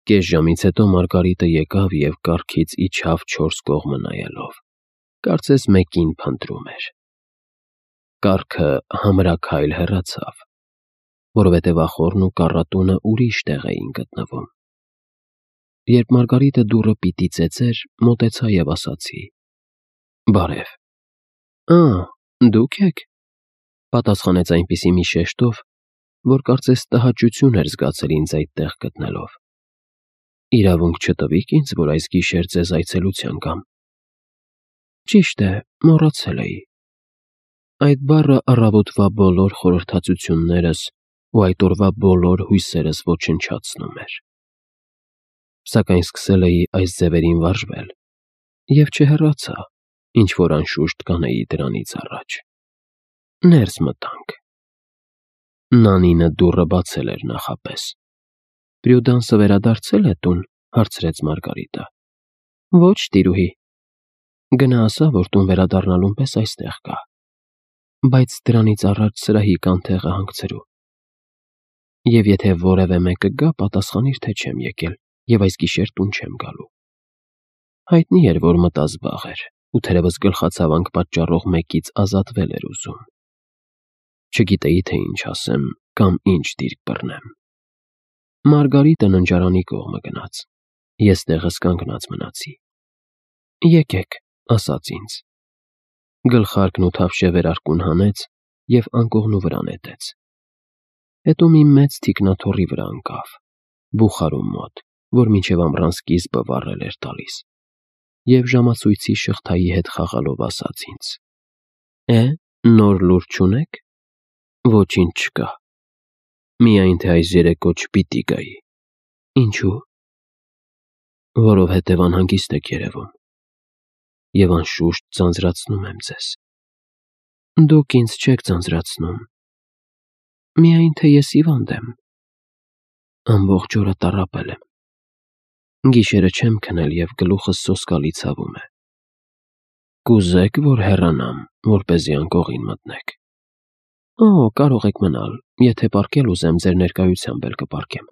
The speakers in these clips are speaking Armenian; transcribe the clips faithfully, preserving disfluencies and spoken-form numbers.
Կես ժամից հետո Մարգարիտը եկավ և կառքից իջավ չորս կողմը նայելով, կարծես մեկին փնտրում էր։ Կառքը համրաքայլ հեռացավ, որովհետև ախոռն ու կառատունը ուրիշ տեղ էին գտնվում։ Երբ Մարգարիտը դուռը պիտի ծեծեր, մոտեցա և ասացի. «Բարև»։ «Ա, դուք եք», պատասխանեց այնպիսի մի շեշտով, որ կարծես տհաճություն էր զգացել ինձ այդտեղ գտնելով։ «Իրավունք չտվիք ինձ, որ այս գիշեր ձեզ այցելության գամ»։ «Ճիշտ է, մոռացել էի»։ Այդ բառը առավոտվա բոլոր խորհրդածություններս ու այդ օրվա բոլոր հույսերս ոչնչացնում էր։ Սակայն սկսել էի այս ձևերին վարժվել և չհեռացա, ինչ-որ անշուշտ կանեի դրանից առաջ։ Ներս մտանք։ Նանինը դուռը բացել էր նախապես։ «Պրյուդանսը վերադարձե՞լ է տուն», հարցրեց Մարգարիտը։ «Ոչ, տիրուհի»։ «Գնա ասա, որ տուն վերադառնալուն պես այստեղ կա, բայց դրանից առաջ սրահի կանթեղը հանգցրու։ Եվ եթե որևէ մեկը գա, պատասխանիր, թե չեմ եկել և այս գիշեր տուն չեմ գալու»։ Հայտնի էր, որ մտած վաղ էր, ու թերևս գլխացավանք պատճառող մեկից ազատվել էր ուզում։ Չգիտեի, թե ինչ ասեմ կամ ինչ դիրք բռնեմ։ Մարգարիտը ննջարանի կողմը գնաց, ես տեղս կանգնած մնացի։ «Եկեք», ասաց ինձ։ Գլխարկն ու թավշե վերարկուն հանեց և անկողնու վրա նետեց։ Հետո մի մեծ թիկնաթոռի վրա ընկավ, բուխարու մոտ, որ մինչև ամռան սկիզբը վառել էր տալիս, և ժամացույցի շղթայի հետ խաղալով ասաց ինձ. «Է, նոր լուր չունե՞ք»։ «Ոչինչ չկա։ Միայն թե այս երեկո չպիտի գայի»։ «Ինչու»։ «Որովհետև անհանգիստ եք երևում, և անշուշտ ձանձրացնում եմ ձեզ»։ «Դուք ինձ չեք ձանձրացնում, միայն թե ես հիվանդ եմ»։ «Ամբողջ օրը տառապել եմ։ Գիշերը չեմ քնել և գլուխս սոսկալի ցավում է»։ «Կուզե՞ք, որ հեռանամ, որպեսզի անկողին մտնեք»։ «Օ, կարող եք մնալ, եթե պառկել ուզեմ, ձեր ներկայությամբ էլ կպառկեմ»։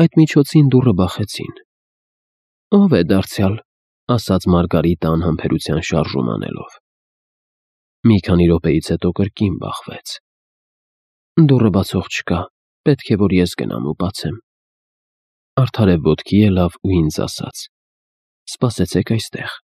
Այդ միջոցին դուռը բախեցին։ «Ո՞վ է դարձյալ», ասաց Մարգարիտը անհամբերության շարժում անելով։ Մի քանի րոպեից հետո կրկին բախվեց։ «Դուռը բացող չկա, պետք է, որ ես գնամ ու բացեմ»։ Արդարև ոտքի ելավ ու ինձ ասաց. «Սպասեցեք այստեղ»։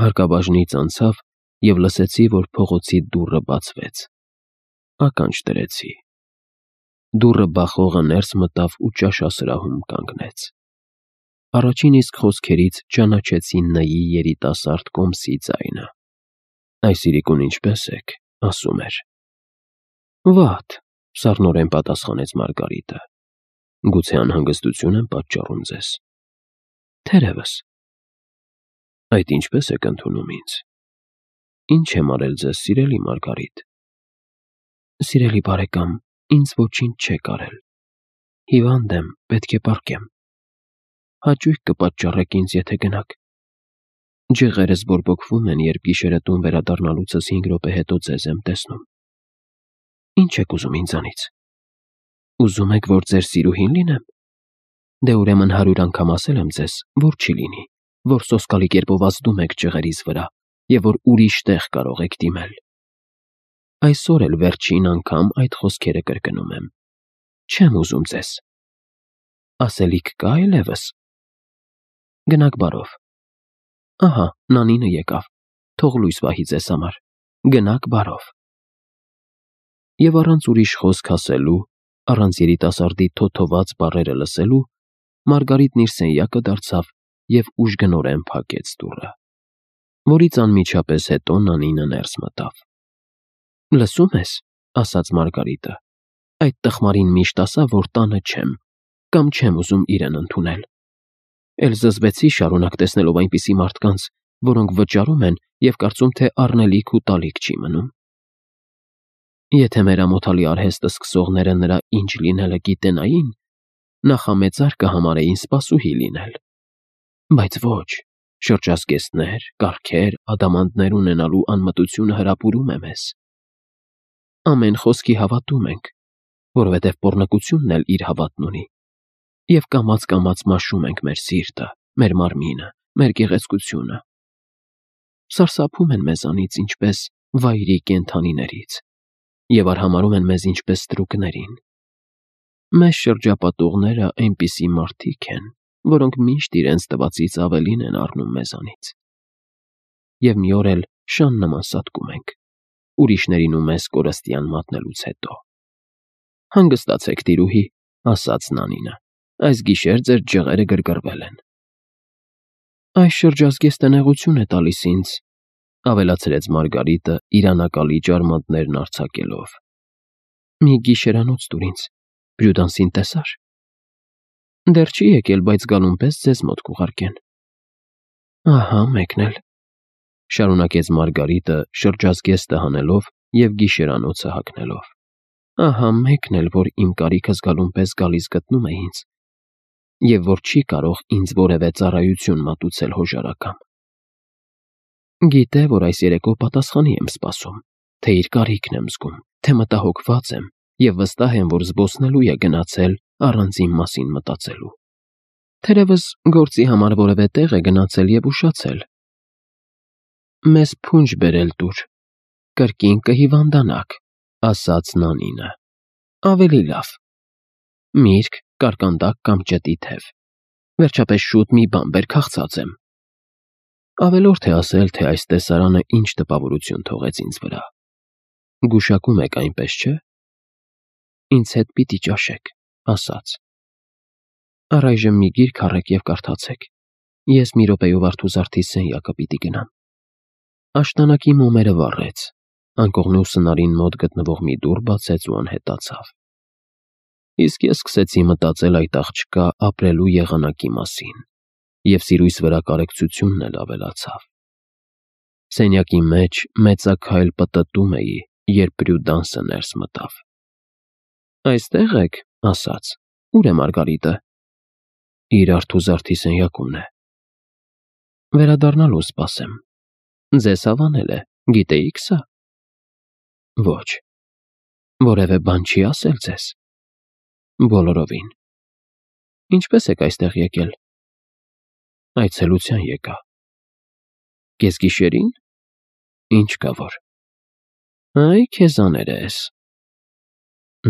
Հարկաբաժնից անցավ և լսեցի, որ փողոցի դուռը բացվեց։ Ականջ դրեցի։ Դուռը բախողը ներս մտավ ու ճաշասրահում կանգնեց։ Առաջին իսկ խոսքերից ճանաչեցի Ն-ի երիտասարդ կոմսի ձայնը։ «Այս իրիկուն ինչպե՞ս եք», ասում էր։ «Վատ», սառնորեն պատասխանեց Մարգարիտը։ «Գուցե անհանգստություն եմ պատճառում ձեզ»։ «Թերևս»։ «Այդ ինչպե՞ս եք ընդունում ինձ։ Ինչ եմ արել ձեզ, սիրելի Մարգարիտ»։ «Սիրելի բարեկամ, ինձ ոչինչ չեք արել։ Հիվանդ եմ, պետք է պառկեմ։ Հաճույք կպատճառեք ինձ, եթե գնաք։ Ջղերս բորբոքվում են, երբ գիշերը տուն վերադառնալուցս հինգ րոպե հետո ձեզ եմ տեսնում։ Ինչ եք ուզում ինձանից։ Ուզում եք, որ ձեր սիրուհի՞ն լինեմ։ Դե ուրեմն հարյուր անգամ ասել եմ ձեզ, որ չի լինի, որ սոսկալի կերպով ազդում եք ջղերիս վրա և որ ուրիշ տեղ կարող եք դիմել։ Այսօր էլ վերջին անգամ այդ խոսքերը կրկնում եմ։ Չեմ ուզում ձեզ։ Ասելիք կա՞ այլևս։ Գնաք բարով։ Ահա, Նանինը եկավ, թող լույս պահի ձեզ համար։ Գնաք բարով»։ Եվ առանց ուրիշ խոսք ասելու, առանց երիտասարդի թոթոված բառերը լսելու, Մարգարիտն իր սենյակը դարձավ և ուժգնորեն փակեց դուռը, որից անմիջապես հետո Նանինը ներս մտավ։ «Լսում ես», ասաց Մարգարիտը, «այդ տխմարին միշտ ասա, որ տանը չեմ, կամ չեմ ուզում իրեն ընդունել։ Էլ զզվեցի շարունակ տեսնելով այնպիսի մարդկանց, որոնք վճարում են և կարծում, թե առնելիք ու տալիք չի մնում։ Եթե մեր ամոթալի արհեստը սկսողները նրա ինչ լինելը գիտենային, նախամեծար կհամարեին սպասուհի լինել։ Բայց ոչ, շրջազգեստներ, կառքեր, ադամանդներ ունենալու անմտությունը հրապուրում է մեզ։ Ամեն խոսքի հավատում ենք, որովհետև պոռնկությունն էլ իր հավատն ունի։ Եվ կամաց-կամաց մաշում ենք մեր սիրտը, մեր մարմինը, մեր գեղեցկությունը։ Սարսափում են մեզանից ինչպես վայրի կենդանիներից և արհամարհում են մեզ ինչպես ստրուկներին։ Մեզ շրջապատողները այնպիսի մարդիկ են, որոնք միշտ իրենց տվածից ավելին են առնում մեզանից։ Եվ մի օր էլ շան նման սատկում ենք, ուրիշներին ու մեզ կորստյան մատնելուց հետո։ Հանգստացեք, տիրուհի, ասաց Նանինը, այս գիշեր ձեր ջղերը գրգռվել են։ Այս շրջազգեստը նեղություն է տալիս ինձ, ավելացրեց Մարգարիտը իր անակալի ջարմանտներն արձակելով։ Մի գիշերանոց տուր ինձ, Պրյուդանսին տեսա՞ր։ Դեռ չի եկել, բայց գալուն պես ձեզ մոտ կուղարկեն։ Ահա մեկն էլ, շարունակեց Մարգարիտը շրջազգեստը հանելով և գիշերանոցը հագնելով։ Ահա մեկն էլ, որ իմ կարիքը զգալուն պես գալիս գտնում է ինձ, և որ չի կարող ինձ որևէ ծառայություն մատուցել հոժարակամ։ Գիտե, որ այս երեկո պատասխանի եմ սպասում, թե իր կարիքն եմ զգում, թե մտահոգված եմ և վստահ եմ, որ զբոսնելու է գնացել առանց իմ մասին մտածելու։ Թերևս գործի համար որևէ տեղ է գնացել և ուշացել։ Մեզ փունջ բերել տուր, կրկին կհիվանդանաք, ասաց Նանինը։ Ավելի լավ։ Միրգ, կարկանդակ կամ ճտի թև։ Վերջապես շուտ մի բան բեր, քաղցած եմ։ Ավելորդ է ասել, թե այս տեսարանը ինչ տպավորություն թողեց ինձ վրա։ Գուշակում եք, այնպես չէ։ Ինձ հետ պիտի ճաշեք, ասաց։ Առայժմ մի գիրք առեք և կարդացեք։ Ես մի րոպեով արթուզարդի սենյակը պիտի գնամ։ Աշտանակի մոմերը վառեց, անկողնու սնարին մոտ գտնվող մի դուռ բացեց ու անհետացավ։ Իսկ ես սկսեցի մտածել այդ աղջկա ապրելու եղանակի մասին, և սիրույս վրա կարեկցությունն էլ ավելացավ։ Սենյակի մեջ մեծաքայլ պտտում էի, երբ Պրյուդանսը ներս մտավ։ Այստե՞ղ եք, ասաց, ուր է Մարգարիտը։ Իր արթուզարդի սենյակումն է։ Վերադառնալու սպասեմ։ Ձեզ հավանել է, գիտեիք սա։ Ոչ։ Որևէ բան չի ասել ձեզ։ Բոլորովին։ Ինչպես եք այստեղ եկել։ Այցելության եկա։ Կեսգիշերին։ Ինչ կա որ։ Այ քեզ աներես։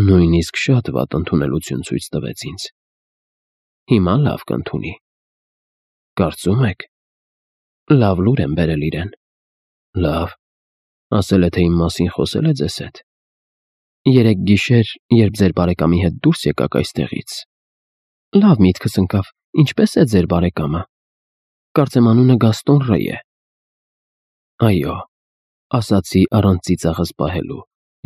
Նույնիսկ շատ վատ ընդունելություն ցույց տվեց ինձ։ Հիմա լավ կընդունի։ Կարծում եք։ Լավ լուր եմ բերել իրեն։ Լավ։ Ասել է, թե իմ մասին խոսել է ձեզ հետ։ Երեկ գիշեր, երբ ձեր բարեկամի հետ դուրս եկաք այստեղից։ Լավ միտքս ընկավ, ինչպես է ձեր բարեկամը։ Կարծեմ անունը Գաստոն Ռեյ է։ Այո, ասացի առանց ծիծաղս պահելու,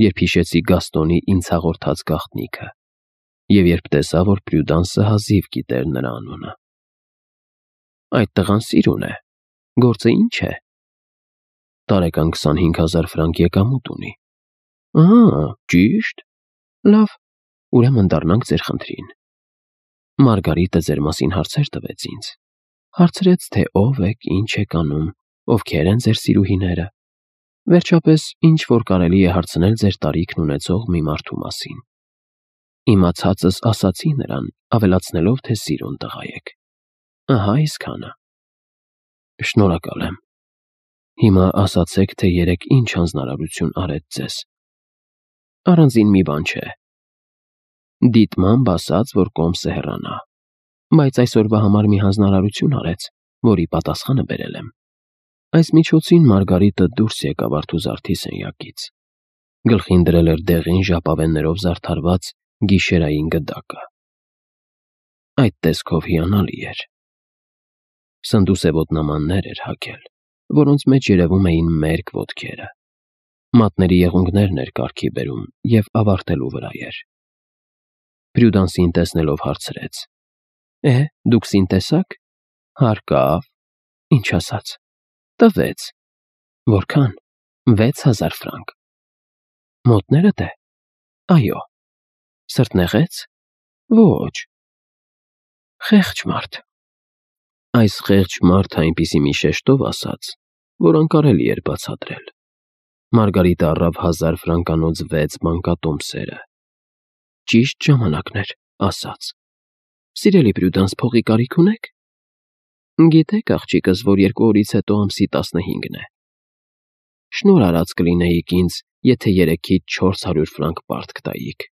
երբ հիշեցի Գաստոնի ինձ հաղորդած գաղտնիքը, և երբ տեսա, որ Պրյուդանսը հազիվ գիտեր նրա անունը։ Այդ տղան սիրուն է։ Գործը ինչ է։ Տարեկան քսանհինգ հազար ֆրանկ եկամուտ ունի։ Ահա, ճիշտ։ Լավ, ուրեմն դառնանք ձեր խնդրին։ Մարգարիտը ձեր մասին հարցեր տվեց ինձ։ Հարցրեց, թե ով եք, ինչ եք անում, ովքեր են ձեր սիրուհիները։ Վերջապես, ինչ որ կարելի է հարցնել ձեր տարիքն ունեցող մի մարդու մասին։ Իմացածս ասացի նրան, ավելացնելով, թե սիրուն տղա եք։ Ահա այսքանը։ Շնորհակալ եմ։ Հիմա ասացեք, թե երեկ ինչ հանձնարարություն արեց ձեզ։ Առանձին մի բան չէ։ Դիտմամբ ասաց, որ կոմսը հեռանա, բայց այսօրվա համար մի հանձնարարություն արեց, որի պատասխանը բերել եմ։ Այս միջոցին Մարգարիտը դուրս եկավ արթուզարդի սենյակից։ Գլխին դրել էր դեղին ժապավեններով զարդարված գիշերային գդակը։ Այդ տեսքով հիանալի էր։ Սնդուսե ոտնամաններ էր հագել, որոնց մեջ երևում էին մերկ ոտքերը։ Մատների եղունգներն էր կարգի բերում և ավարտելու վրա էր։ Պրյուդանսին տեսնելով հարցրեց. Է, դուք սին տեսաք։ Հարկավ։ Ինչ ասաց։ Տվեց։ Որքան։ Վեց հազար ֆրանկ։ Մոտներդ է։ Այո։ Սրտնեղեց։ Ոչ։ Խեղճ մարդ։ Այս խեղճ մարդը այնպիսի մի շեշտով ասաց, որ անկարելի էր բացատրել։ Մարգարիտը առավ հազար ֆրանկանոց վեց մանկատոմսերը։ Ճիշտ ժամանակն էր, ասաց։ Սիրելի Պրյուդանս, փողի կարիք ունեք։ Գիտեք, աղջիկս, որ երկու օրից հետո ամսի տասնհինգն է։ Շնորհ արած կլինեիք ինձ, եթե երեքից չորս հարյուր ֆրանկ պարտք տայիք։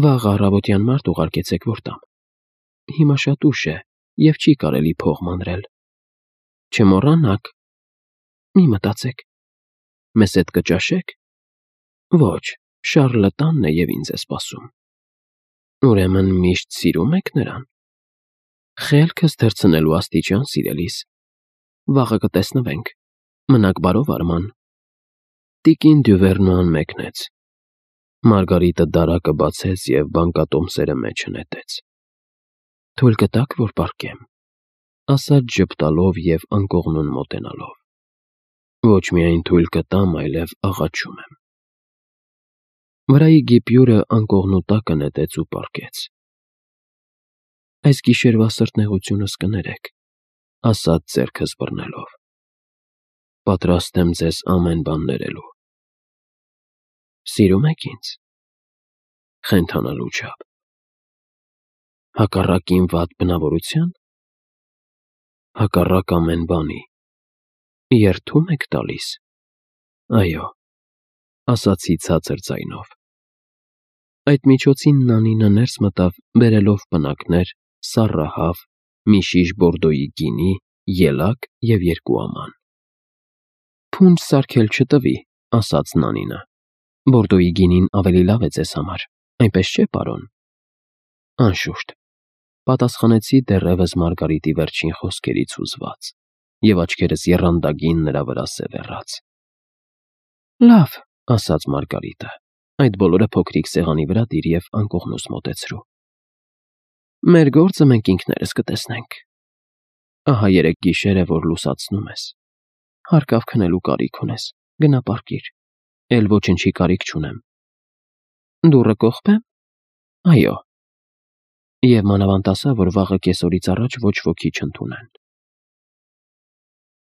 Վաղ առավոտյան մարդ ուղարկեցեք, որ տամ։ Հիմա շատ ուշ է և չի կարելի փող մանրել։ Չմոռանաք։ Մի մտածեք։ Մեզ հետ կճաշե՞ք։ Ոչ, Շառլը տանն է և ինձ է սպասում։ Ուրեմն միշտ սիրում եք նրան։ Խելքս թռցնելու աստիճան, սիրելիս։ Վաղը կտեսնվենք։ Մնաք բարով, Արման։ Տիկին Դյուվերնուան մեկնեց։ Մարգարիտը դարակը բացեց և բանկատոմսերը մեջը նետեց։ Թույլ կտաք, որ պառկեմ, ասաց ժպտալով և անկողնուն մոտենալով։ Ոչ միայն թույլ կտամ, այլև աղաչում եմ։ Վրայի գիպյուրը անկողնու տակը նետեց ու պառկեց։ Այս գիշերվա սրտնեղությունս կներեք, ասաց ձեռքս բռնելով։ Պատրաստ եմ ձեզ ամեն բան ներելու։ Սիրում եք ինձ։ Խենթանալու չափ։ Հակառակ իմ վատ բնավորությա՞ն։ Հակառակ ամեն բանի։ Երդում եք տալիս։ Այո, ասացի ցածր ձայնով։ Այդ միջոցին Նանինը ներս մտավ, բերելով պնակներ, սառահավ, մի շիշ բորդոյի գինի, ելակ և երկու աման։ Փունջ սարքել չտվի, ասաց Նանինը։ Բորդոյի գինին ավելի լավ է ձեզ համար, այնպես չէ՞, պարոն։ Անշուշտ, պատասխանեցի դեռևս Մարգարիտի վերջին խոսքերից հուզված, և աչքերս եռանդագին նրա վրա սևեռաց։ Լավ, ասաց Մարգարիտը, այդ բոլորը փոքրիկ սեղանի վրա դիր և անկողնուս մոտեցրու։ Մեր գործը մենք ինքներս կտեսնենք։ Ահա երեք գիշեր է, որ լուսացնում ես։ Հարկավ քնելու կարիք ունես, գնա պառկիր, էլ ոչնչի կարիք չունեմ։ Դուռը կողպե՞մ։ Այո։ Եվ մանավանդ ասա, որ վաղը կեսօրից առաջ ոչ ոքի չընդունեն։